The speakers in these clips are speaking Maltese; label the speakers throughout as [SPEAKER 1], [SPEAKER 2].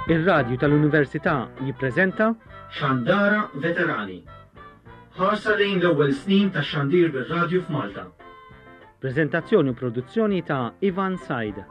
[SPEAKER 1] Ir-Radju tal-Università jippreżenta
[SPEAKER 2] Xandara Veterani. Ħarsa lejn l-ewwel snin tax-xandir bir-radju f'Malta.
[SPEAKER 1] Preżentazzjoni u produzzjoni ta' Ivan Said.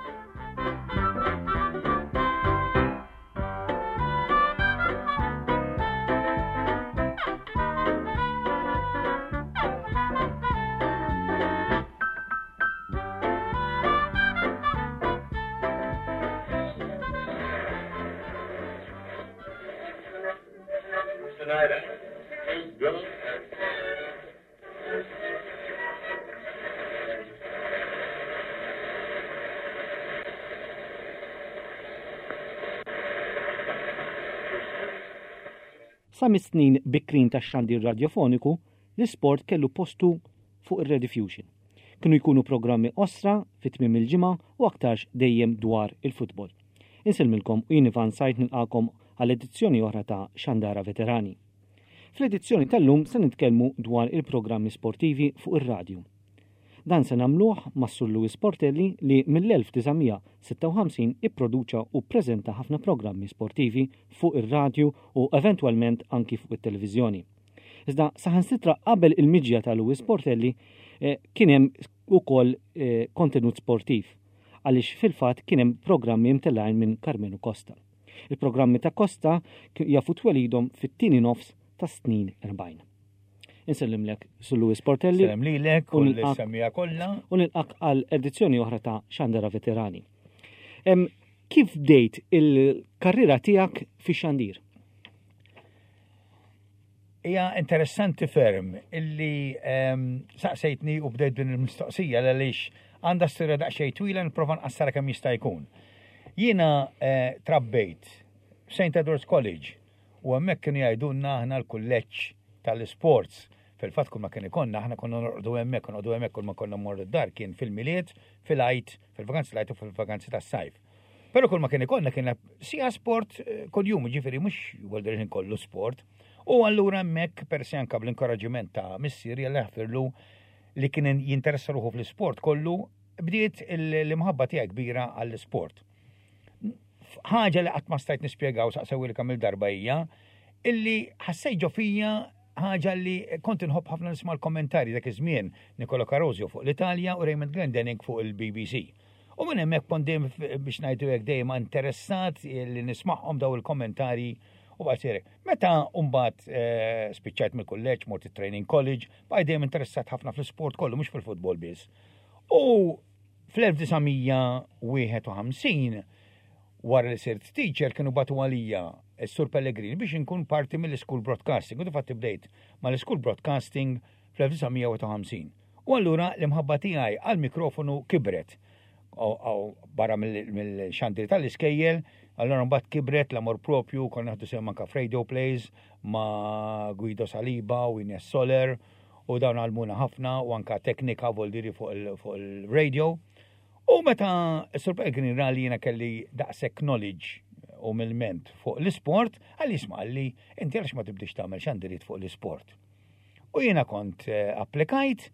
[SPEAKER 1] Sa mis-snin bikrin tax-xandir radjofoniku, l-isport kellu postu fuq ir-Rediffusion. Kienu jkunu programmi qosra fi tmiem il-ġimgħa u aktarx dejjem dwar il-futbol. Insellmilkom u jien Ivan Said nilqakom għal edizzjoni oħra ta' Xandara Veterani. Fl-edizzjoni tal-lum se nitkellmu dwar il-programmi sportivi fuq ir-radju. Dan se nagħmluh mas-Sur Louis Portelli li mill-1956 ipproduċa u ppreżenta ħafna programmi sportivi fuq ir-radju u eventwalment anki fuq it-televiżjoni. Iżda saħansitra qabel il-miġja ta' Louis Portelli eh, kien hemm ukoll eh, kontenut sportiv għaliex fil-fatt kien hemm programmi mtellgħin minn Carmenu Costa. Il-programmi ta' Costa jafu twelidhom fit-tieni nofs ta' snin 40. Insellimlek Sur Louis Portelli.
[SPEAKER 3] Sellem lilek u l-semmija kollha.
[SPEAKER 1] U nilqak għal edizzjoni oħra ta' Xandara Veterani. Kif bdejt il-karriera tiegħek fi xandir?
[SPEAKER 3] Hija interessanti ferm illi saqsejtni u bdejt din il-mistoqsija għaliex għandha storja daqsxejn twila nipprova nqassara kemm jista' jkun. Jiena eh, trabbejt St. Edward's College U hemmhekk kienu jgħidulna aħna l-kulleġġ tal-isports. Fil-fatt kull ma kien ikollna aħna konna norqdu hemmhekk, norqdu hemmhekk kull ma konna mmorru d-dar kien fil-Milied, fil-Għid, fil-vakanzi tal-Għid u fil-vakanzi tas-sajf. Però kull ma kien ikollna kien sija sport eh, kuljum, ġifieri mhux jgħoldir ħin kollu sport. U allura hemmhekk persi anke bl-inkoraġġiment ta' missieri Alla jaħfirlu li kien jinteressa ruħu fl-isport kollu, bdiet l-imħabba tiegħi kbira għall-isport. Ħaġa li qatt ma stajt nispjegaw saqsewilka mill-darba hija illi ħassejt ġo fija ħaġa li kont inħobb ħafna nisma' l-kommentarji dak iż-żmien Nicola Carosio fuq l-Italja u Raymond Glendenning fuq il-BBC. U minn hemmhekk kont dejjem biex ngħidu hekk dejjem interessat li nismagħhom daw il-kommentarji u baqgħet Meta mbagħad eh, spiċċajt mill-kulleġġ, mort it-training college, bqajt dejjem interessat ħafna fl-isport kollu mhux fil-futbol biss. U Fl-1951, wara li sirt teacher, kienu bagħtu għalija s-Sur Pellegrini biex inkun parti mill-School Broadcasting. U difatti bdejt mal-School Broadcasting fl-1951. U allura l-imħabba tiegħi għall-mikrofonu kibret. Barra mill-xandir tal-iskejjel, allura mbagħad kibret l-amor propju, konna naħdu sehem anka f'radio plays ma' Guido Saliba u Ines Soler u dawn għallmuna ħafna u anka teknika voldiri fuq il-radio. U meta Sur Pellegrini ra li jiena kelli daqshekk knowledge u milment fuq l-isport, għalli isma' għalli inti għaliex ma tibdix tagħmel xandiriet fuq l-isport. U jiena kont eh, applikajt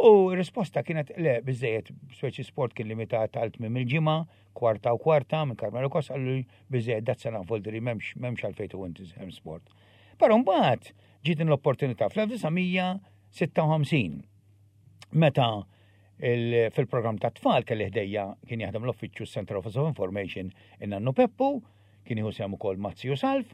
[SPEAKER 3] u risposta kienet le biżejjed speċi sport kien limitat għal tmiem il-ġimgħa, kwarta u kwarta minn Carmelo Kos għallu biżejjed dat sena voldiri m'hemmx m'hemmx għalfejn u inti sport. Però mbagħad Ġiet din l-opportunità fl-1956 meta fil-programm ta' tfal kelli ħdejja kien jaħdem l-uffiċċju Central Office of Information in-nannu Peppu, kien jieħu sehem ukoll Mazzi u Salv,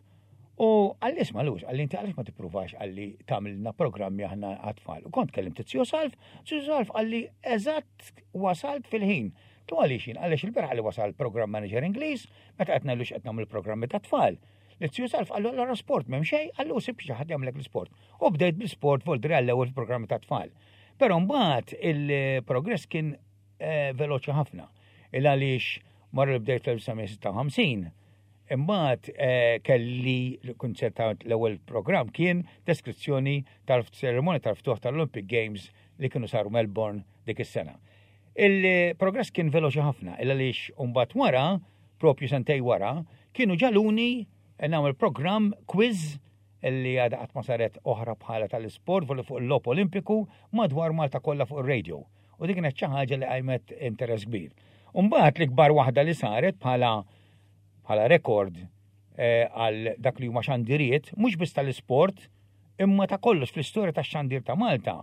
[SPEAKER 3] u għalli isma' lux, għalli inti għaliex ma tippruvax għalli tagħmilna programmi aħna għat-tfal. U kont kellimt Zio Salv, Zio Salv għalli eżatt wasalt fil-ħin. Tu għaliex jien għaliex il-berħa li wasal program manager Ingliż, meta qed ngħidlu x'qed nagħmel programmi ta' tfal. L-Zju Salv qallu allura sport m'hemm xejn, qallu sib xi ħadd jagħmlek l-isport. U bdejt bl-isport voldri għall-ewwel fil-programmi ta' tfal. Però mbagħad il-progress kien eh, veloċi ħafna. Il għaliex marru li bdejt fl-1956, imbagħad eh, kelli kunċert ta' l-ewwel programm kien deskrizzjoni tal-seremonja tal-ftuħ tal-Olympic Games li kienu saru Melbourne dik is-sena. Il-progress kien veloċi ħafna, il għaliex mbagħad wara, propju sentej wara, kienu ġaluni nagħmel programm quiz li għadha qatt ma saret oħra bħala tal-isport fuq il-logħob Olimpiku madwar Malta kollha fuq ir-radio. U dik kienet xi ħaġa li qajmet interess kbir. Umbagħad l-ikbar waħda li saret bħala bħala rekord eh, għal dak li huma xandiriet, mhux biss tal-isport, imma ta' kollox fl-istorja tax-xandir ta' Malta.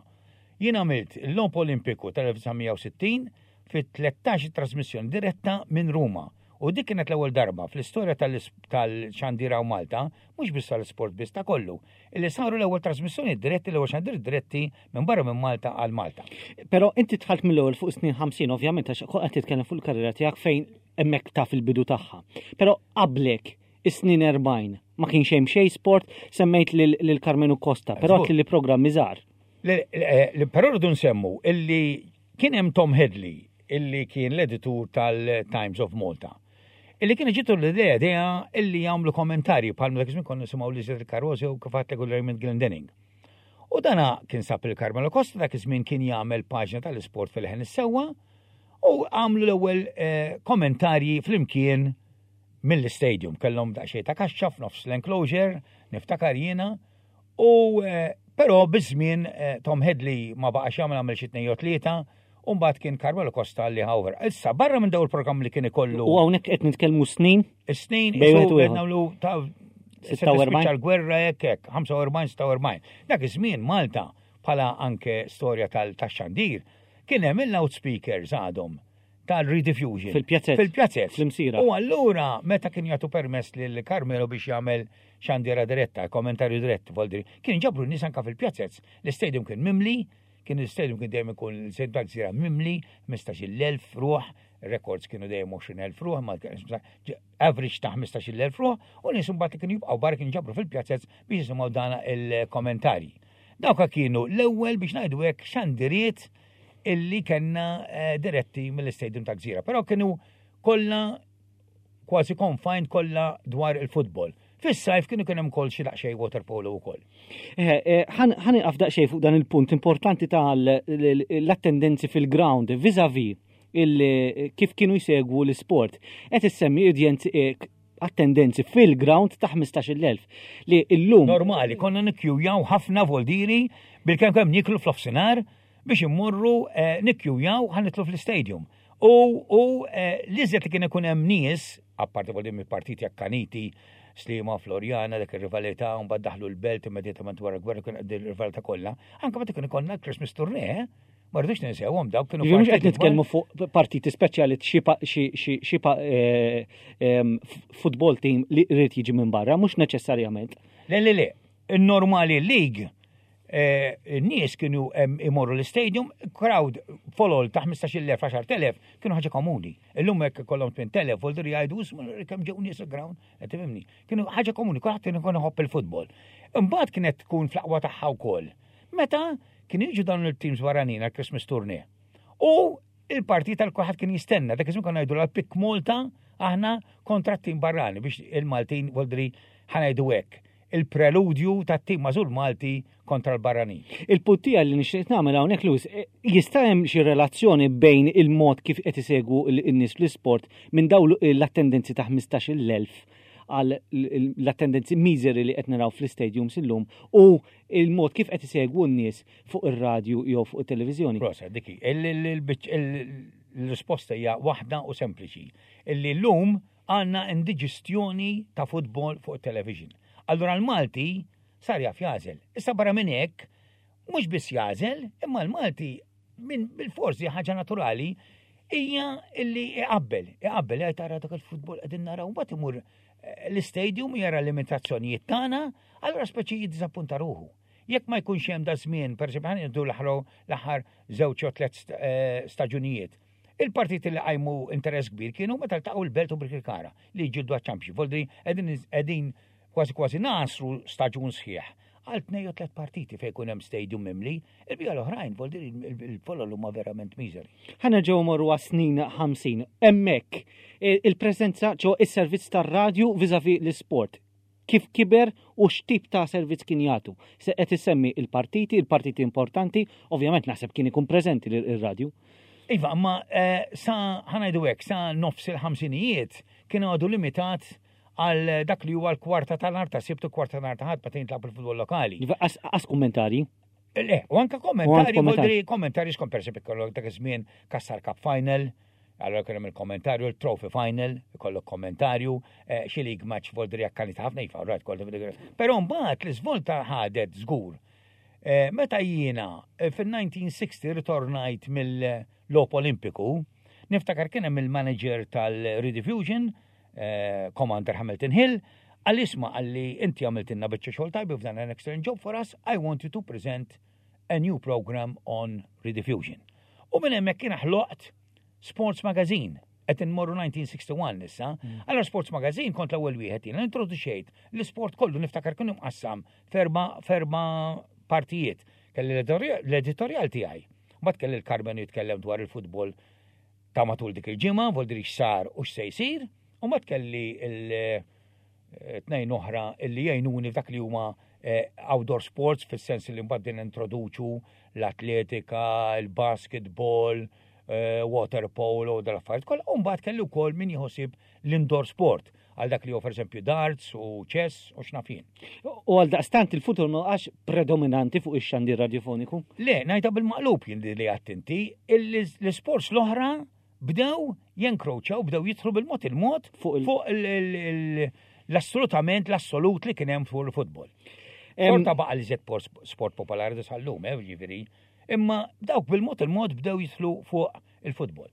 [SPEAKER 3] Jien għamilt l-Logħob Olimpiku tal-1960 fit-13 trasmissjoni diretta minn Ruma. U dik kienet l-ewwel darba fl-istorja tal-xandir hawn Malta, mhux biss tal-isport biss ta' kollu, illi saru l-ewwel trasmissjoni diretti, l-ewwel xandir diretti minn barra minn Malta għal Malta.
[SPEAKER 1] Però inti dħalt mill-ewwel fuq snin 50 ovvjament għax qed titkellem fuq il-karriera tiegħek fejn hemmhekk taf il-bidu tagħha. Però qablek is-snin 40 ma kienx hemm xejn sport, semmejt lil Karmenu Costa, però li programmi żgħar.
[SPEAKER 3] Però rridu nsemmu illi kien hemm Tom Hedley illi kien l-editur tal-Times of Malta. Illi kien ġitu l-idea idea illi jagħmlu kommentarji bħal dak iż-żmien konna nisimgħu li Zed Carosi u kif għadlek u Raymond Glendenning. U dana kien sab il-Carmelo Costa dak iż-żmien kien jagħmel paġna tal-isport fil-ħen is-sewwa u għamlu l-ewwel eh, kommentarji flimkien mill-stadium. Kellhom daqsxejn ta' kaxxa f'nofs l-enclosure, niftakar jiena, u eh, però biż-żmien eh, Tom Hedley ma baqax jagħmel għamel xi tnejn jew tlieta, u mbagħad kien Carmelo Costa li ħawver. Issa barra minn daw il-programm li kien ikollu.
[SPEAKER 1] U hawnhekk qed nitkellmu snin?
[SPEAKER 3] Snin, qed nagħmlu ta' 46 l-gwerra hekk hekk, 45 46. Dak iż-żmien Malta bħala anke storja tal-xandir kien hemm il-loudspeakers għadhom tal-rediffusion.
[SPEAKER 1] Fil-pjazzett.
[SPEAKER 3] Fil-pjazzett.
[SPEAKER 1] Fl-imsira.
[SPEAKER 3] U allura meta kien jagħtu permess lil Carmelo biex jagħmel xandira diretta, kommentarju dirett, voldri, kien ġabru n-nies anka fil-pjazzett. L-istadium kien mimli, kien l-istadium kien dejjem ikun l-istadium tal-gżira mimli, 15,000 ruħ, records kienu dejjem 20,000 ruħ, ma average ta' 15,000 ruħ, u nies imbagħad li kienu jibqgħu barra kienu ġabru fil-pjazzett biex jisimgħu dana il-kommentarji. Dawka kienu l-ewwel biex ngħidu hekk xandiriet illi kellna eh, diretti mill-istadium ta' Gżira. Però kienu kollha kważi confined kollha dwar il-futbol. Fis-sajf kienu kien hemm ukoll xi daqsxejn water polo wkoll.
[SPEAKER 1] Eh, eh, ħan iqaf daqsxejn fuq dan il-punt importanti tal-attendenzi fil-ground vis-a-vis kif kienu jsegwu l-isport. Qed issemmi udjenzi attendenzi fil-ground ta' 15,000 li illum.
[SPEAKER 3] Normali, konna nikkjujaw ħafna voldiri bil-kemm kemm niklu fl-ofsinhar biex immorru eh, nikkjujaw ħa nitlu fl-istadium. U, u eh, l-iżjed li kien ikun hemm nies, apparti voldiri mill-partiti akkaniti, Sliema, Floriana, dak ir-rivalità, u mbagħad daħlu l-belt immedjatament wara l-gwerra kien qed ir-rivalità kollha, anke meta kien ikollna l-Christmas tournée, eh? Ma rridux ninsewhom dawk
[SPEAKER 1] kienu. Mhux qed nitkellmu fuq partiti speċjali xi eh, football team li rrid jiġi minn barra, mhux neċessarjament.
[SPEAKER 3] Le le le, il-normali league eh, n-nies kienu imorru l-stadium, crowd folol ta' 15.000, 10.000, kienu ħaġa komuni. Illum hekk kollhom 8.000, voldur jgħidu kemm ġew nies il-ground, qed tifhimni. Kienu ħaġa komuni, kulħadd kien ikun iħobb il-futbol. Imbagħad kienet tkun fl-aqwa tagħha wkoll. Meta kienu jiġu dawn il-teams barranin għal Christmas tournée. U il-partit tal kulħadd kien jistenna, dak iż-żmien konna ngħidu l-Pik Malta aħna kontra t-tim barrani biex il-Maltin voldri ħanajdu hekk. Il-preludju tat-tim mażul Malti kontra l-barranin.
[SPEAKER 1] Il-punt tiegħi li nixtieq nagħmel hawnhekk Lewis, eh, jista' hemm xi relazzjoni bejn il-mod kif qed isegwu n-nies fl-isport minn dawn l-attendenzi ta' 15,000 għal l-attendenzi miżeri li qed naraw fl-istadiums illum u il-mod kif qed isegwu n-nies fuq ir-radju jew fuq it-televiżjoni.
[SPEAKER 3] Prosa, diki, il-risposta hija waħda u sempliċi. Illi llum għandna indiġestjoni ta' futbol fuq it-television. Allura l-Malti sar jaf jagħżel. Issa barra minn hekk, mhux biss jagħżel, imma l-Malti minn bil-forsi ħaġa naturali hija illi iqabbel, iqabbel jgħid tara dak il-futbol qegħdin naraw mbagħad imur eh, l-istadium jara l-limitazzjonijiet tagħna, allura speċi jiddiżappunta ruħu. Jekk ma jkunx hemm da żmien, pereżempju ħan jiddu l-aħħar żewġ jew tliet eh, staġunijiet. Il-partiti li qajmu interess kbir kienu meta ltaqgħu l-Belt u Birkirkara li jġildu għaċ-Championship. Voldri qegħdin kważi kważi nasru staġun sħiħ għal tnej u tlet partiti fejn jkun hemm stadium mimli, il-bija l-oħrajn voldri il-folol huma verament miżeri.
[SPEAKER 1] Ħa nerġgħu morru għas-snin 50. Hemmhekk il-preżenza ġo is-servizz tar-radju viżavi l-isport kif kiber u x'tip ta' servizz kien jagħtu. Se qed issemmi il-partiti, il-partiti importanti, ovvjament naħseb kien ikun preżenti ir-radju.
[SPEAKER 3] Iva, ma eh, sa ħanajdu hekk, sa nofs il-ħamsinijiet kien għadu limitat għal dak li huwa l-kwarta ta' nhar ta' Sibt u kwarta ta' nhar ta' Ħadd meta jintlagħab il-futbol lokali.
[SPEAKER 1] Iva, Qas kummentarji.
[SPEAKER 3] Le, u anka kommentari, kommentari skont per esempio kollok dak iż-żmien Kassar Cup Final, allora kien hemm il-kommentarju, il-Trophy Final, ikollok kommentarju, eh, xi league match voldri akkanita ħafna iva, right, kollu. Però mbagħad l-iżvolta ħadet żgur. Eh, meta jiena eh, fil-1960 ritornajt mill-Lop Olimpiku, niftakar kien hemm il-manager tal-Rediffusion, eh, Commander Hamilton Hill, għal isma għalli inti għamiltinna biċċa xogħol tajba you've done an excellent job for us, I want you to present a new program on Rediffusion. U minn hemmhekk kien ħloqt Sports Magazine qed inmorru 1961 issa. Mm. Allora Sports Magazine kont l-ewwel wieħed jiena introduċejt l-isport kollu niftakar kien imqassam ferba ferba partijiet. Kelli l-editorjal tiegħi. Mbagħad kelli l-Carmen jitkellem dwar il-futbol ta' matul dik il-ġimgħa, vol diri x'sar u x'se jsir, u mbagħad kelli il-tnejn oħra illi jgħinuni f'dak li huma eh, outdoor sports fis-sens li mbagħad din introduċu l-atletika, il-basketball, eh, water polo u dal-affarijiet kollha, u mbagħad kelli wkoll min jħossib l-indoor sport għal dak li hu pereżempju darts u chess u x'naf jien.
[SPEAKER 1] U għal daqstant il-futur ma għax predominanti fuq ix-xandir radiofoniku?
[SPEAKER 3] Le, ngħidha bil-maqlub jien li għadt inti, l-isports l-oħra bdew jenkroċaw, bdew jidħlu bil-mod il-mod fuq l-assolutament l-assolut li kien hemm fuq il-futbol. Xorta baqa' li żed sport popolari da sal-lum, eh, ġifieri. Imma dawk bil-mod il-mod bdew jidħlu fuq il-futbol.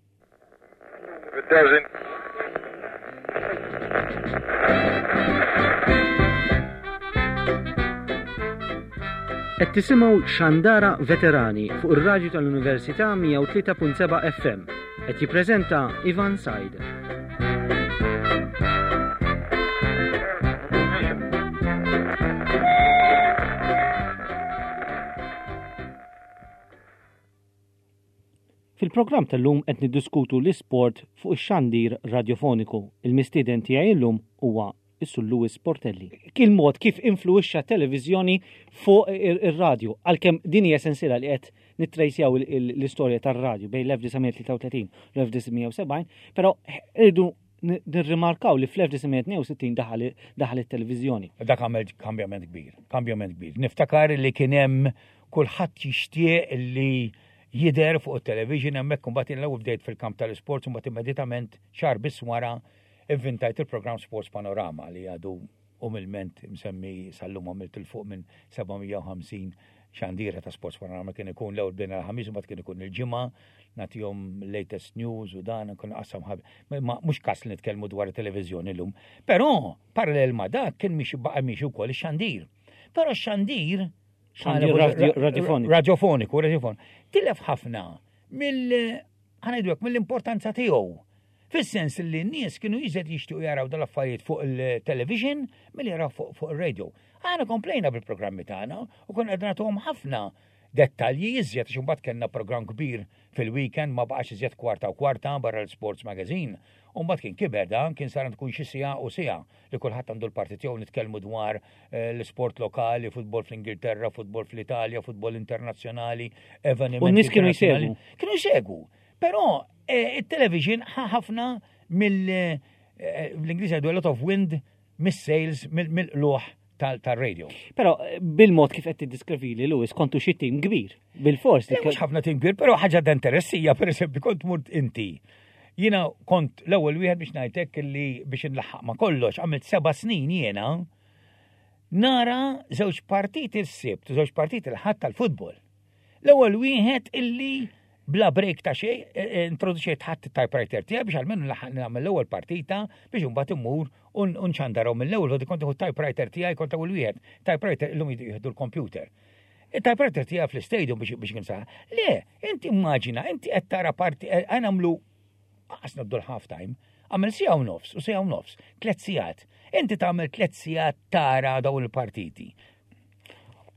[SPEAKER 1] Qed tisimgħu Xandara Veterani fuq ir-radju tal-Università 103.7 FM. Qed jippreżenta Ivan Said. Fil-programm tal-lum qed niddiskutu l-isport fuq ix-xandir radjofoniku. Il-mistieden tiegħi llum huwa is-Sur Louis Portelli. Il-mod kif influwixxa t-televiżjoni fuq ir-radju, għalkemm din hija sensiela li qed nittrejsjaw l-istorja tar-radju bejn l-1933 u l-1970, però irridu nirrimarkaw li fl-1962 daħal it-televiżjoni.
[SPEAKER 3] Dak għamel kambjament kbir, kambjament kbir. Niftakar li kien hemm kulħadd jixtieq li jidher fuq it-television hemmhekk imbagħad jien l-ewwel bdejt fil-kamp tal-isports imbagħad immedjatament xahar biss wara ivvintajt il-programm Sports Panorama li għadu umilment msemmi sal-lum għamilt 'il fuq minn 750 xandira ta' Sports Panorama kien ikun l-ewwel bdejna l-Ħamis imbagħad kien ikun il-Ġimgħa nagħtihom latest news u dan nkun qassam ħab. Ma mhux każ li nitkellmu dwar it-televiżjoni llum. Però parallel ma' dak kien miexi baqa' miexi wkoll ix-xandir. Però x-xandir
[SPEAKER 1] Radiofoniku.
[SPEAKER 3] Radiofoniku, radiofoniku. Tilef ħafna mill ħanajdwek mill-importanza tiegħu. Fis-sens li n-nies kienu jiżed jixtiequ jaraw dal-affarijiet fuq il-television milli jaraw fuq ir-radio. Aħna komplejna bil-programmi tagħna u konna qed nagħtuhom ħafna dettalji iżjed għax imbagħad kellna programm kbir fil-weekend ma baqax iżjed kwarta u kwarta barra l-Sports Magazine. U mbagħad kien kiber dan, kien sar tkun xi siegħa u siegħa li kulħadd għandu l-parti tiegħu nitkellmu dwar eh, l-isport lokali, futbol fl-Ingilterra, futbol fl-Italja, futbol internazzjonali,
[SPEAKER 1] evenimenti. U nies kienu jsegwu.
[SPEAKER 3] Kienu jsegwu. Però eh, it-television ħafna mill eh, l-Ingliż jgħidu a lot of wind mis-sales mill-qluħ tal-radio.
[SPEAKER 1] Però eh, bil-mod kif qed tiddiskrivili Lewis kontu xi tim kbir, bil-fors.
[SPEAKER 3] Mhux ħafna tim kbir, però ħaġa ta' interessija, pereżempju kont murt inti. Jiena kont l-ewwel wieħed biex ngħidlek li biex inlaħħaq ma' kollox, għamilt seba' snin jiena nara żewġ partiti s-Sibt u żewġ partiti l-Ħadd tal-futbol. L-ewwel wieħed illi bla break ta' xejn, e, e, introduċejt ħadd it-typewriter tiegħi biex almenu nlaħħaq nagħmel l-ewwel partita biex imbagħad immur u nxandarhom mill-ewwel, u kont nieħu typewriter tiegħi kont ewwel wieħed. Typewriter illum jieħdu l-computer. Il-typewriter tiegħi fl-istadium biex biex kien Le, inti immaġina, inti qed tara parti, e, nagħmlu qas nabdu l-half time, għamel sija u nofs u sija u nofs, tliet sigħat. Inti tagħmel tliet sigħat tara dawn il-partiti.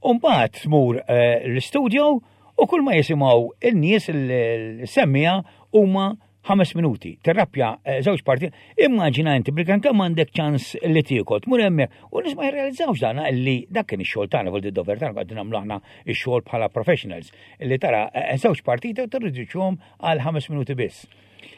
[SPEAKER 3] Umbagħad tmur eh, l-studio u kull ma jisimgħu in-nies il-semmija huma ħames minuti. Terrappja eh, żewġ parti. Immaġina inti bil kemm għandek ċans li tiekol, tmur hemmhekk u nies ma jirrealizzawx dan li dak kien ix-xogħol tagħna fuq id-dover tagħna qegħdin nagħmlu aħna x-xogħol bħala professionals li tara eh, żewġ partiti u tirriduċihom għal ħames minuti biss.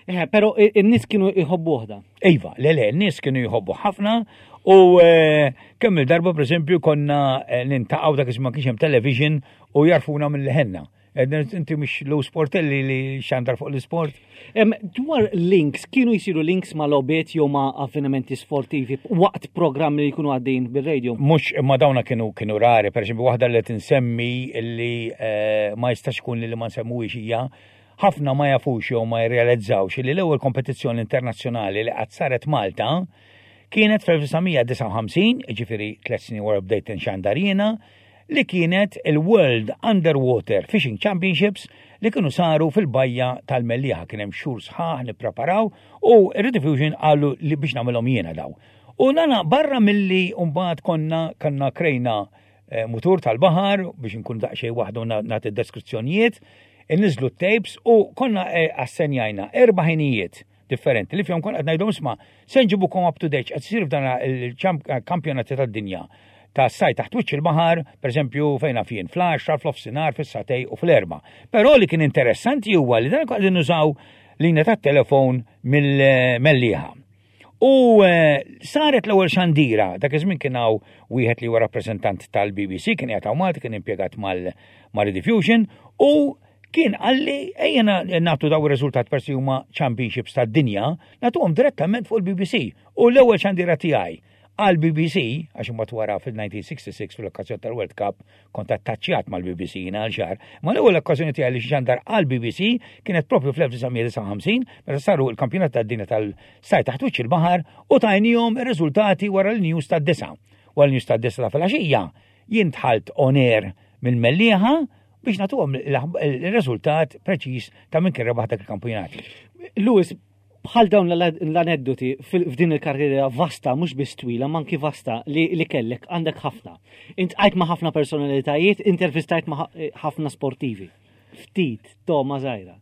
[SPEAKER 1] Eh, pero in-nies kienu jħobbu waħda.
[SPEAKER 3] Iva, le le, n-nies kienu jħobbu ħafna u eh, kemm il-darba pereżempju konna eh, nintaqgħu dak iż-żmien kienx hemm television u jarfuna mill-ħenna. Inti mhux Lou Sportelli li xandar fuq l-isport?
[SPEAKER 1] Dwar links, kienu jisiru links ma' logħbiet jew ma' avvenimenti sportivi waqt programmi li jkunu għaddejjin bir-radio?
[SPEAKER 3] Mhux imma dawna kienu kienu rari, pereżempju waħda li tinsemmi li ma jistax ikun li ma nsemmuhiex hija ħafna ma jafux jew ma jirrealizzawx li l-ewwel kompetizzjoni internazzjonali li qatt saret Malta kienet fl-1959, jiġifieri tliet snin wara bdejt inxandar jiena, li kienet il-World Underwater Fishing Championships li kienu saru fil-bajja tal-Mellieħa. Kien hemm xhur sħaħ nippreparaw u r-Rediffusion qalu li biex nagħmilhom jiena daw. U nana barra milli mbagħad konna kanna krejna eh, mutur tal-baħar biex nkun daqsxejn waħdu nagħti deskrizzjonijiet, inniżlu t-tapes u konna eh, assenjajna erba' ħinijiet differenti li fihom kont qed ngħidhom isma' se nġibukom up to date qed isir f'dan il-kampjonati tad-dinja ta' saj taħt wiċċ il-baħar, pereżempju fejn naf jien fl-10, fl-ofsinhar, fis-satej u fl-erba. Però li kien interessanti huwa li dan qegħdin nużaw linja tat-telefon mill-Mellieħa. U eh, saret l-ewwel xandira, dak iż-żmien kien hawn wieħed li huwa rappreżentant tal-BBC, kien qiegħed hawn Malta, kien impjegat mal-Rediffusion u kien qalli ejja nagħtu daw ir-riżultat persi huma championships tad-dinja, nagħtuhom direttament fuq il-BBC. U l-ewwel xandira tiegħi għal BBC, għax imbagħad wara fil-1966 fil-okkażjoni tal-World Cup kont attaċċjat mal-BBC jiena għal xahar, ma l-ewwel okkażjoni tiegħi li xandar għal BBC kienet propju fl-1959 meta saru l-kampjonat tad-dinja tal-saj taħt wiċċ il-baħar u tajnihom ir-riżultati wara l-news tad-disa. Wara l-news tad-disa ta' filgħaxija jien dħalt on air mill-Mellieħa biex nagħtuhom il-riżultat preċiż ta' min kien rebaħ dak il-kampjonati.
[SPEAKER 1] Louis, bħal dawn l-aneddoti f'din il-karriera vasta, mhux biss twila, ma anki vasta li, li kellek għandek ħafna. Intqajt ma' ħafna personalitajiet, intervistajt ma' ħafna sportivi. Ftit, toma żgħira.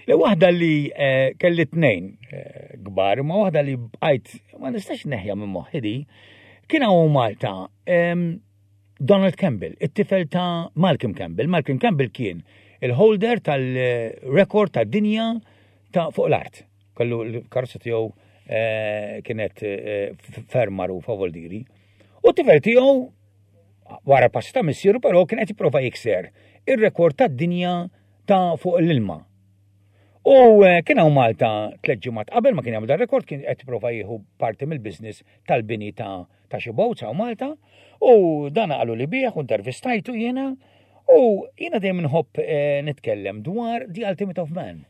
[SPEAKER 3] Le waħda li eh, kelli tnejn eh, kbar, ma waħda li bqajt ma nistax neħja minn moħħi di, kien hawn Malta Donald Campbell, it-tifel ta' Malcolm Campbell. Malcolm Campbell kien il-holder tal-rekord tad-dinja ta' fuq l-art. Kellu l-karozza tiegħu eh, kienet eh, ferm magħrufa voldiri. U t-tifel tiegħu wara passi ta' missieru però kien qed jipprova jikser ir-rekord tad-dinja ta' fuq l-ilma. U eh, kien hawn Malta tliet ġimgħat qabel ma kien jagħmel dar-rekord kien qed jipprova jieħu parti mill-business tal-bini ta' ta' xi boats hawn Malta u dan qalu li bih u intervistajtu jiena u jiena dejjem nħobb eh, nitkellem dwar the ultimate of man.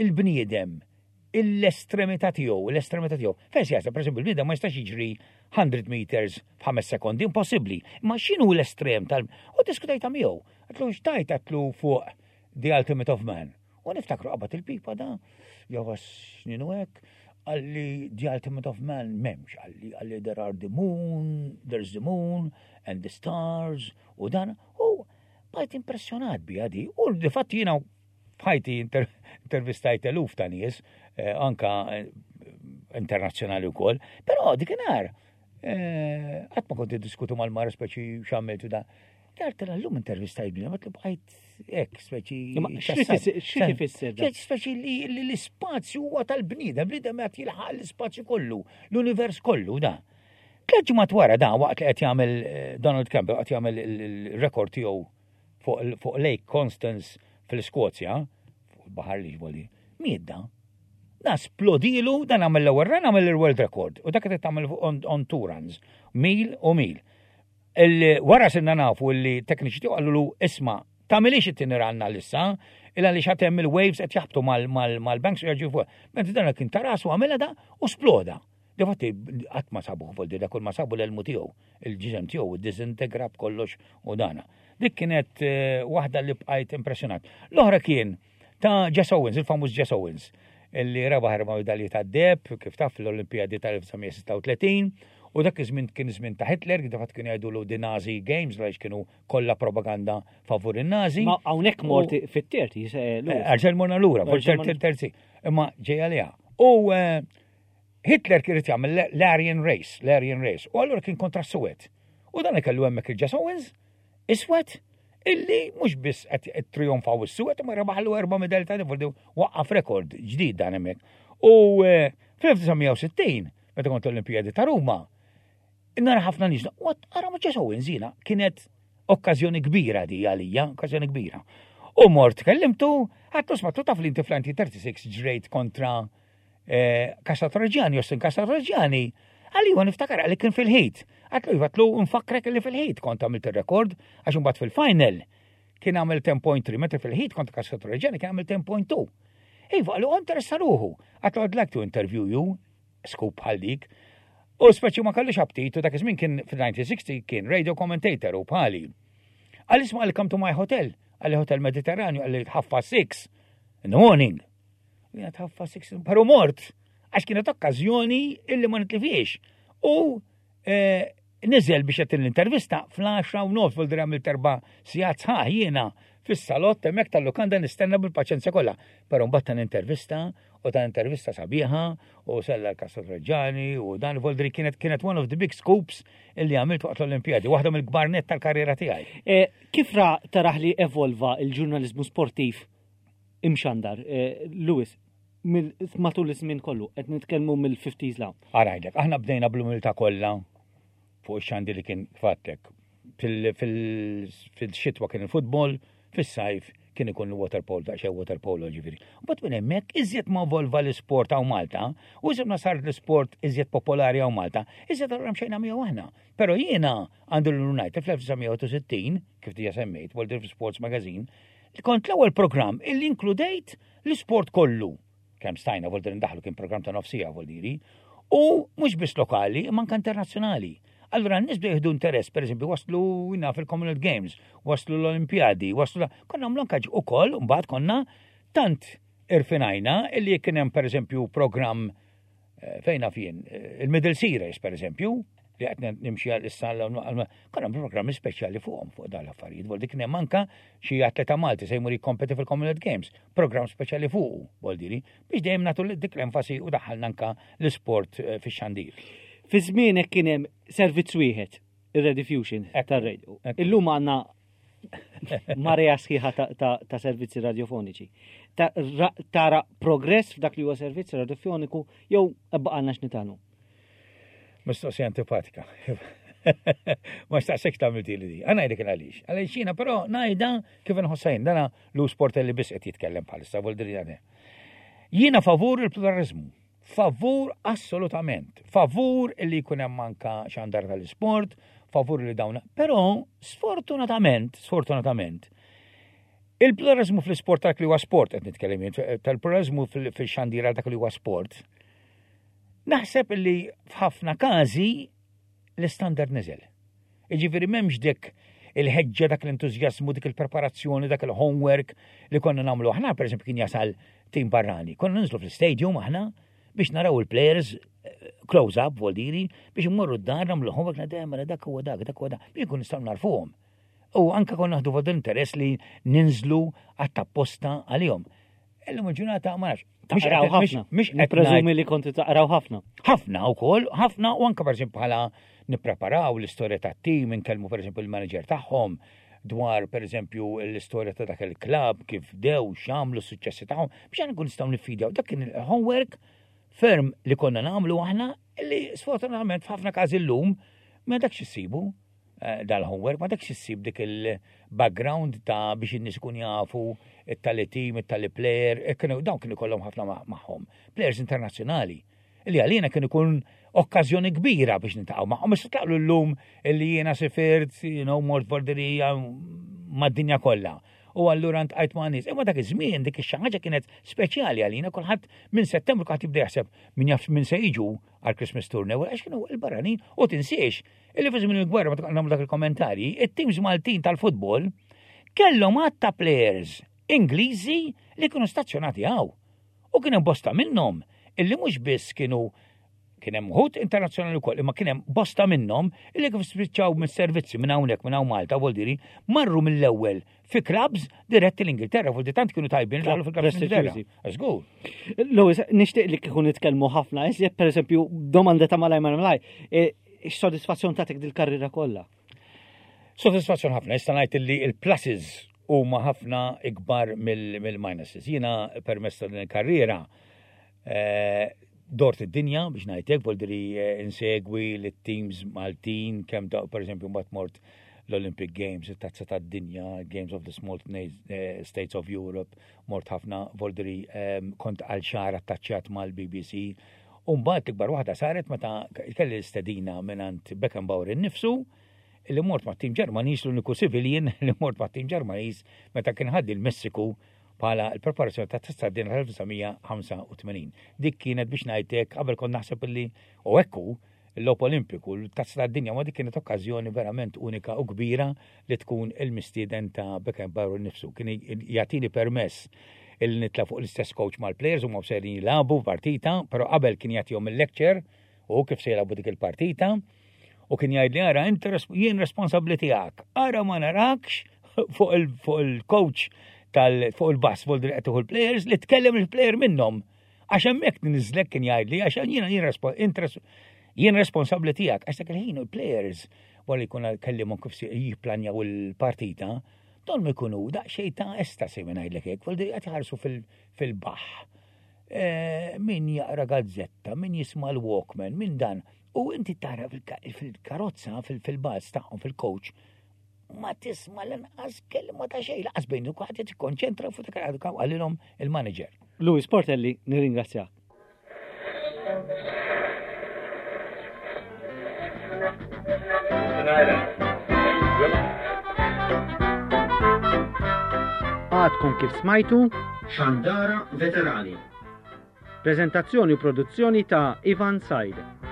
[SPEAKER 3] Il-bniedem, l-estremità tiegħu, l-estremità tiegħu. Fejn se jasal, pereżempju, il-bniedem ma jistax jiġri 100 meters f'ħames sekondi, impossibbli. Ma x'inhu l-estrem tal U diskutajta miegħu. Għatlu x'tajt għatlu fuq the ultimate of man. U niftakru qabad il-pipa da, jew snin u hekk, għalli the ultimate of man memx, għalli għalli there are the moon, there's the moon and the stars u dan, u bajt impressjonat bija di, u di fatti jina f'ħajti intervistajt eluf ta' nies, eh, anka eh, internazzjonali wkoll, però dikinhar eh, qatt ma kont diskutu mal-mara speċi x'għamiltu da. Dart l-lum intervistajt bina, ma bqajt hekk speċi.
[SPEAKER 1] Xi tifisser?
[SPEAKER 3] Speċi li l-ispazju huwa tal-bniedem, bniedem qed jilħaq l-ispazju kollu, l-univers kollu da. Tliet ġimgħat wara da waqt li qed jagħmel eh, Donald Campbell qed jagħmel il-rekord tiegħu fuq Lake Constance fil-Skozja, fuq il-baħar li ġboli, miet da. Da splodilu, dan għamel l-ewwel run għamel il-world record u dak qed tagħmel on two runs, mil u mil. Wara sirna nafu li tekniċi tiegħu qalulu isma' tagħmilix it-tieni run għalissa, il għaliex għad hemm il-waves qed jaħbtu mal-banks u jaġu fuq. Mentri dan kien ta' rasu għamilha da u sploda. Difatti qatt ma sabuh voldi da kull ma sabu l-elmu tiegħu, il-ġisem tiegħu ddisintegra b'kollox u dana. Dik kienet eh, waħda li bqajt impressjonat. L-oħra kien ta' Jess Owens, il-famuż Jess Owens, li rebaħ erba' medalji tad-deheb, kif taf fl-Olimpijadi tal-1936, u dak iż-żmien kien żmien ta' Hitler, kif fatt kienu jgħidulu the Nazi Games, għaliex kienu kollha propaganda favur in-Nazi.
[SPEAKER 1] Ma hawnhekk mort fit-terzi, eh,
[SPEAKER 3] lura. Eh, Erġa' morna lura, fit-terzi, imma ġejja liha. U eh, Hitler kien irid jagħmel l-Aryan Race, l-Aryan Race, u allura kien kontra s-Suwed. U dan kellu hemmhekk il-Jess Owens, iswed, illi mhux biss qed trionfaw is-suq imma rebaħlu erba' medalji ta' voldi waqqaf rekord ġdid dan hemmhekk. U eh, fl-1960, meta kont l-Olimpijadi ta' Ruma, nara ħafna nies, what ara ma Jess Owens jiena kienet okkażjoni kbira di għalija, okkażjoni kbira. U mort kellimtu, għattu smattu taf li inti fl-1936 ġrejt kontra eh, Casatroġani, Justin Casatroġani, għalli huwa niftakar għalli kien fil-ħit. Għatlu iva tlu nfakkrek li fil-ħit kont għamilt il-rekord, għax imbagħad fil-final kien għamil 10.3, meta fil-ħit kont Casatroġani kien għamil 10.2. Iva, għallu interessa ruħu. Għatlu I'd like to interview you, scoop bħal dik. U speċi ma kellux aptit u dak iż-żmien kien fil-1960 kien radio commentator u bħali. Għal isma għal come to my hotel, għal hotel Mediterranju għal ħaffa 6 in the morning. Jena tħaffa 6, pero mort, għax kienet okkażjoni illi ma nitlifiex. U eh, niżel biex jagħti l-intervista fl-10 u nofs vol għamilt erba' sigħat sħaħ jiena fis-salott hemmhekk tal-lukanda nistenna bil-paċenzja kollha. Però mbagħad ta' intervista u ta' intervista sabiħa u sella l-Kassa Reġani u dan Voldri kienet kienet one of the big scoops illi għamilt waqt l-Olimpijadi, waħda mill-kbar net tal-karriera tiegħi.
[SPEAKER 1] Eh, kif ra taraħ li evolva il-ġurnalizmu sportiv imxandar, eh, Lewis, matul iż-żmien kollu, qed nitkellmu mill-50s law.
[SPEAKER 3] Arajdek, aħna bdejna bl-umiltà kollha fuq ix-xandi li kien fattek. Fil-xitwa kien il-futbol, fis-sajf kien ikun il-waterpolo, daqsxejn waterpolo ġifieri. Mbagħad minn hemmhekk iżjed ma volva l-isport hawn Malta, u iżjed ma saret l-isport iżjed popolari hawn Malta, iżjed allura mxejna miegħu aħna. Però jiena għandu l-United fl-1960, kif diġà semmejt, World Sports Magazine, Li kont l-ewwel programm illi inkludejt l-isport kollu. Kemm stajna vol ndaħlu kien programm ta' nofsija vol diri. U mhux biss lokali, imma anke internazzjonali. Allura n-nies bdew jieħdu interess, pereżempju waslu jina fil-Commonwealth Games, waslu l-Olimpjadi, waslu konna nagħmlu anke ukoll mbagħad konna tant irfinajna illi kien hemm pereżempju programm Eh, fejn naf jien, eh, il-Middle Series per eżempju, li qed nimxi għal issa konna programmi speċjali fuqhom fuq dan l-affarijiet. Vol dik hemm anka xi atleta Malti se jmur jikkompeti fil-Commonwealth Games, programm speċjali fuqu, vol diri, biex dejjem nagħtu dik l-enfasi u daħħalna anka l-isport eh, fix-xandir.
[SPEAKER 1] Fi żmienek kien hemm servizz wieħed, ir-Rediffusion tar-radio. Illum għandna marea sħiħa ta' servizzi radiofoniċi. Tara progress f'dak li huwa servizz radiofoniku jew baqgħalna x'nitagħmlu?
[SPEAKER 3] Mistoqsija antipatika. Ma xtaqsek tagħmel li di. Għana ngħidlek għaliex. Għaliex jiena però ngħidha kif inħossajn dana lu sportelli biss qed jitkellem bħalissa vol Jiena favur il-pluralizmu. Favur assolutament. Favur li jkun hemm anka xandar tal-isport, favur li dawn. Però sfortunatament, sfortunatament, il-pluralizmu fl-isport dak li huwa sport qed nitkellem jien, tal-pluralizmu fil-xandira dak li huwa sport, naħseb li f'ħafna każi l-istandard niżel. Jiġifieri m'hemmx dik il-ħeġġa dak l-entużjażmu, dik il-preparazzjoni, dak il-homework li konna nagħmlu aħna, pereżempju kien jasal tim barrani. Konna ninżlu fl-stadium aħna biex naraw il-players eh, close up, voldiri, biex immorru d-dar nagħmlu homework nadem mela dak huwa dak, dak huwa dak, biex nkun nistgħu narfuhom. U anka konna naħdu vod interess li ninżlu għat-tapposta għalihom. Illum il-ġurnata ma nafx.
[SPEAKER 1] Taqraw ħafna. Mhux Nippreżumi li konti taqraw ħafna.
[SPEAKER 3] Ħafna wkoll, ħafna u anke pereżempju bħala nippreparaw l-istorja tat-tim, inkellmu pereżempju l-manager tagħhom dwar pereżempju l-istorja ta' dak il-klabb, kif dew, x'għamlu, s-suċċessi tagħhom, biex aħna nkun nistgħu niffidjaw. Dak kien il-homework ferm li konna nagħmlu aħna li sfortunatament f'ħafna każi llum ma dakx issibu. Eh, dal-homework, ma dakx issib dik il-background ta' biex in-nies ikun jafu it-tali team, it-tali player, e kienu dawn kienu kollhom ħafna magħhom. Players internazzjonali. Li għalina kien ikun okkażjoni kbira biex nintaqgħu magħhom. Issa tlaqlu llum illi jiena sifirt, you know, mort borderija mad-dinja kollha. U allura ntqajt ma' nies. Imma dak iż-żmien dik ix-xi ħaġa kienet speċjali għalina, kulħadd minn Settembru kulħadd jibda jaħseb min jaf min se jiġu għal Christmas tourney, għax kienu l-barranin u tinsiex Illi fi żmien il-gwerra meta nagħmlu dak il-kommentarji, it-teams Maltin tal-futbol kellhom għadd ta' players Ingliżi li kienu stazzjonati hawn. U kien hemm bosta minnhom illi mhux biss kienu kien hemm uħud internazzjonali wkoll, imma kien hemm bosta minnhom illi kif spiċċaw mis-servizzi minn hawnhekk minn hawn Malta, vuol diri, marru mill-ewwel fi clubs diretti l-Ingilterra, vuol tant kienu tajbin daħlu fil-clubs l-Ingilterra. Żgur.
[SPEAKER 1] Lewis, nixtieq li kieku nitkellmu ħafna, iżjed pereżempju domanda ta' malaj malaj, e, X'sodisfazzjon tagħtik dil-karriera kollha?
[SPEAKER 3] Sodisfazzjon ħafna, nista' ngħid li l-pluses huma ħafna ikbar mill-minuses. Jiena permezz ta' din il-karriera eh, dort id-dinja biex ngħidlek, voldiri eh, insegwi lit-teams Maltin kemm ta' pereżempju mbagħad mort l-Olympic Games, it-Tazza tad-Dinja, Games of the Small eh, States of Europe, mort ħafna voldiri ehm, kont għal xahar attaċċjat mal-BBC. U mbagħad l-ikbar waħda saret meta kelli l-istedina mingħand Beckenbauer innifsu li mort ma' tim Ġermaniż l-uniku civilian li mort ma' tim Ġermaniż meta kien ħaddi l-Messiku bħala l-preparazzjoni ta' tazza din 1985. Dik kienet biex ngħidlek qabel kont naħseb li u ekku l-logħob Olimpiku, l-tazza tad-dinja ma dik kienet okkażjoni verament unika u kbira li tkun il-mistieden ta' Beckenbauer nifsu. Kien jagħtini permess il nitla fuq l-istess coach mal-players u ma sejrin jilagħbu partita, però qabel kien jagħtihom il-lecture u kif se jilagħbu dik il-partita u kien jgħidli ara inti jien responsabbli tiegħek, ara ma narakx fuq il-coach tal fuq il-bas fuq il il-players li tkellem il-player minnhom. Għax hemmhekk niżlek kien jgħidli għax jiena jien responsabbli tiegħek għax dak il-ħin il-players wara li jkun kellimhom kif jipplanjaw il-partita, dawn ma jkunu daqsxejn ta' estasi minn ngħidlek hekk, voldi qed iħarsu fil-baħ. Eh, min jaqra gazzetta, min jisma' l-Walkman, min dan. U inti tara fil-karozza, fil-bus tagħhom, fil-coach, ma tisma' lanqas kelma ta' xejn, laqas bejn kulħadd qed jikkonċentra fuq dak li qalilhom il-manager.
[SPEAKER 1] Louis Portelli, nirringrazzjak. Għadkom kif smajtu
[SPEAKER 2] Xandara Veterani.
[SPEAKER 1] Prezentazzjoni u produzzjoni ta' Ivan Said.